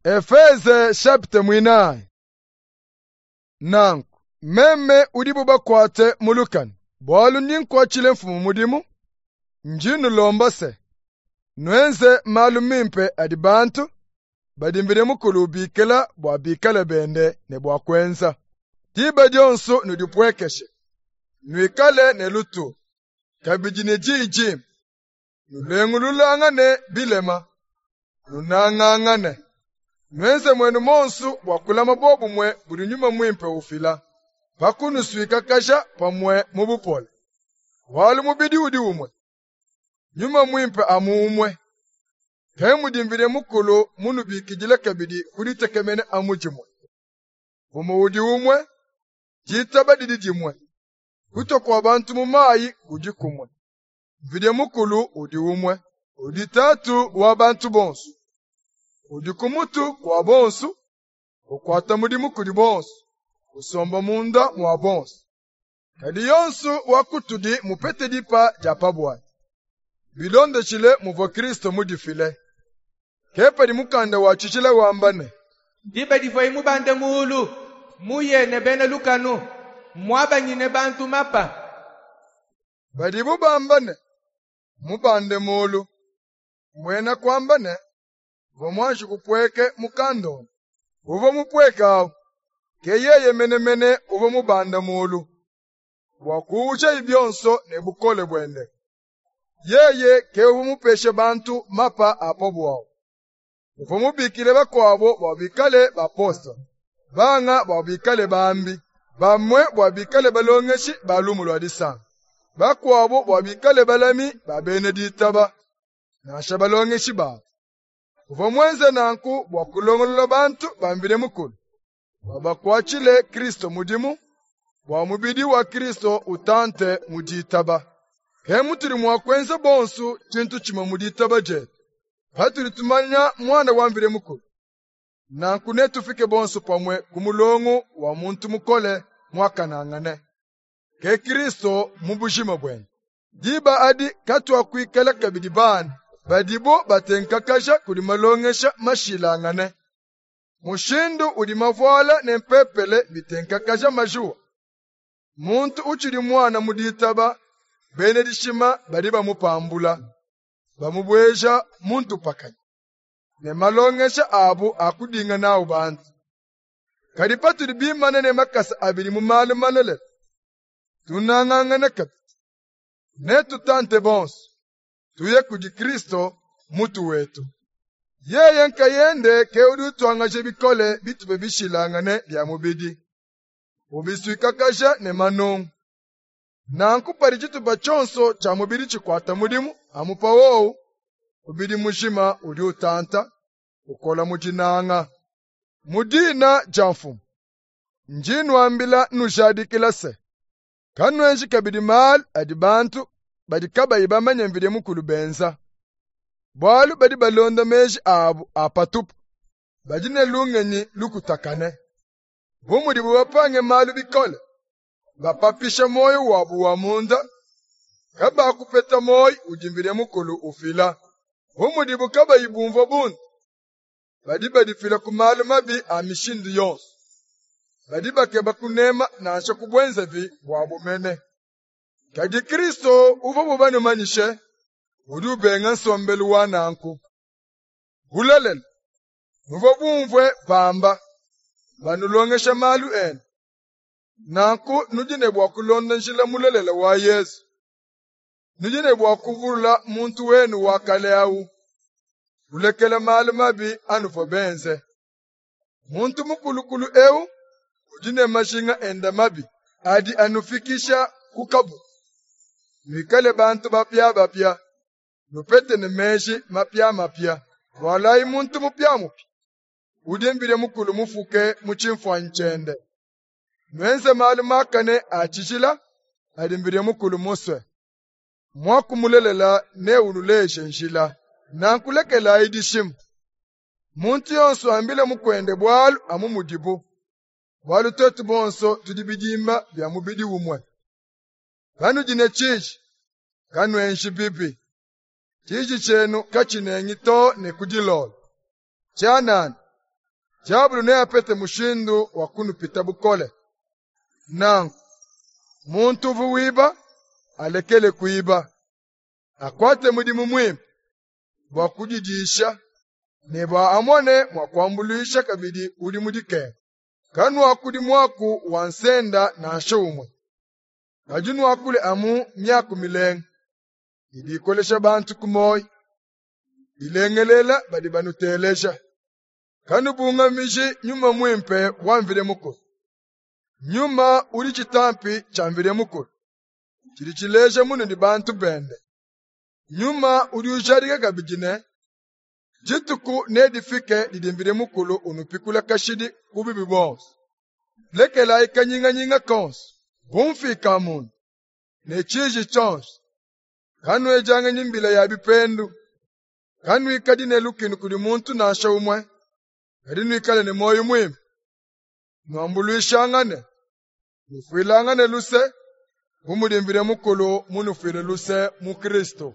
Efeze chapitre mwinayi. Nanku meme udibu bakuate mu lukanu, bualu ndi nkuatshile mfumu mudimu, ndi nnulomba se, nuenze malu mimpe adi bantu badi Mvidi Mukulu ubikila bua bikale bende ne bua kuenza. Diba dionso nudipuekeshe, nuikale ne lutulu, kabidi ne diyi dimpe, nulengululangane bilema, nunangangane. Nuenze muenu muonso bua kulama bobumue budi Nyuma Muimpe ufila, pa kunusuikakaja pamue mu bupole. Bualu mubidi udi umue, Nyuma Muimpe amu umue. Ke mudi Mvidi Mukulu munubikidile kabidi ku ditekemena amu dimue. Mfumu udi umue, ditaba didi dimue, kutua kua bantu mu mayi kudi kumue. Mvidi Mukulu udi umue, udi Tatu wa bantu bonso, udi ku mutu kua bonso, ukuata mudimu kudi bonso, usomba munda mua bonso. Kadi yonso wa kutudi mupete dipa dia pa buadi, bilondeshile muvua Kristo mudifile. Ke padi mukanda wa tshijila wamba ne, Diba divuaye mubande muulu, muye ne bena lukanu, mmuabanyine bantu mapa. Badibu bamba ne, mubande muulu, mbuena kuamba ne, uvua muanji kupueke mu kandonda. Uvua mupueke awu, ke yeye menemene uvua mubande muulu, bua kuwujaye bionso ne bukole buende. Yeye ke uvua mupeshe bantu mapa a pa buawu. Uvua mubikile bakuabo bua bikale bapostolo, banga bua bikale bambi, bamue bua bikale balongeshi ba lumu lua disanka, bakuabo bua bikale balami ba bena ditaba, nansha balongeshi babo. Uvua muenze nanku bua kulongolola bantu ba Mvidi Mukulu, bua bakuatshile Kristo mudimu, bua mubidi wa Kristo utante mu ditaba. Ke mutudi mua kuenza bonso tshintu tshimue mu ditaba dietu, patudi tumanya Muana wa Mvidi Mukulu. Nanku netufike bonso pamue ku mulongo wa muntu mukole muakanangane, ke Kristo mu bujima buende. Diba adi katuakuikala kabidi bana badibo batenkakaja kudi malongesha mashilangane, mushindu udi mavuala ne mpepele bitenkakaja majuwa. Muntu utshidi muana mu ditaba, bena dishima badi bamupambula, bamubueja mu ntupakanyi ne malongesha abu a kudinga nawu bantu. Kadi patudi bimane ne makasa abidi mu malu malelela, tunangangane kabidi, netutante bonso, tuye kudi Kristo mutu wetu. Yeye nkayende ke udi utuangaja bikole bitupa bishilangane bia mubidi, ubisuikakaja ne manungu. Nanku padi tshitupa tshionso tshia mubidi tshikuata mudimu amu pa wowu, mubidi mujima udi utanta, ukola mu dinanga. Mu dina dia Mfumu, ndi nnuambila nnujadikila se, kanuenji kabidi malu adi bantu badi kabayi bamanye Mvidi Mukulu benza, bualu badi balonda meji abu a patupu, badi ne lungenyi lukutakane. Bu mudibu bapange malu bikole, bapapisha muoyo wabu wa munda, kabakupeta muoyo udi Mvidi Mukulu ufila. Bu mudibu kabayi bumvua bundu, badi badifila ku malu mabi a mishindu yonso, badi bakeba kunema nansha ku buenzavi buabu mene. Kadi Kristo uvua banumanyishe udi ubenga nsombelu wa nanku. Bulelela, nuvua bumvue bamba, banulongesha malu enu. Nanku nudi ne bua kulonda njila mulelela wa Yezu. Nudi ne bua kuvula muntu wenu wa kale awu, kulekela malu mabi anuvua benze. Muntu mukulukulu ewu udi ne majinga ende mabi adi anufikisha ku kabutu. Nuikale bantu bapiabapia, nupete ne meji mapiamapia. Vualayi muntu mupiamupia, udi Mvidi Mukulu mufuke mu tshimfuanyi tshiende. Nuenze malu makane a tshijila adi Mvidi Mukulu musue. Muaku mulelela neunuleje njila. Nanku lekelayi dishima. Muntu yonso ambile mukuende bualu amu mudibu, bualu tuetu bonso tudi bidimba bia mubidi umue. Panudi ne tshiji, kanuenji bibi. Tshiji tshienu katshinengi too ne ku dilolo. Tshianana, Diabulu neapete mushindu wa kunupita bukole. Nanku, muntu uvua wiba, alekele kuiba, akuate mudimu muimpe bua kudidisha ne bua amone mua kuambuluisha kabidi udi mu dikenga. Kanuakudi muaku wa nsenda nansha umue, kadi nuakule amu miaku milenga idi ikolesha bantu ku muoyo, ilengelela badi banuteleja. Kanubungamiji Nyuma Muimpe wa Mvidi Mukulu. Nyuma udi tshitampi tshia Mvidi Mukulu, tshidi tshileja munudi bantu bende. Nyuma udi ujadika kabidi ne, dituku nedifike didi Mvidi Mukulu unupikula kashidi ku bubi buonso. Lekelayi kanyinganyinga konso, bumfika-munda, ne tshiji tshionso. Kanuedianganyi mbila ya bipendu. Kanuikadi ne lukinu kudi muntu nansha umue, kadi nuikale ne muoyo muimpe. Nuambuluishangane, nufuilangane luse, bu mudi Mvidi Mukulu munufuile luse mu Kristu.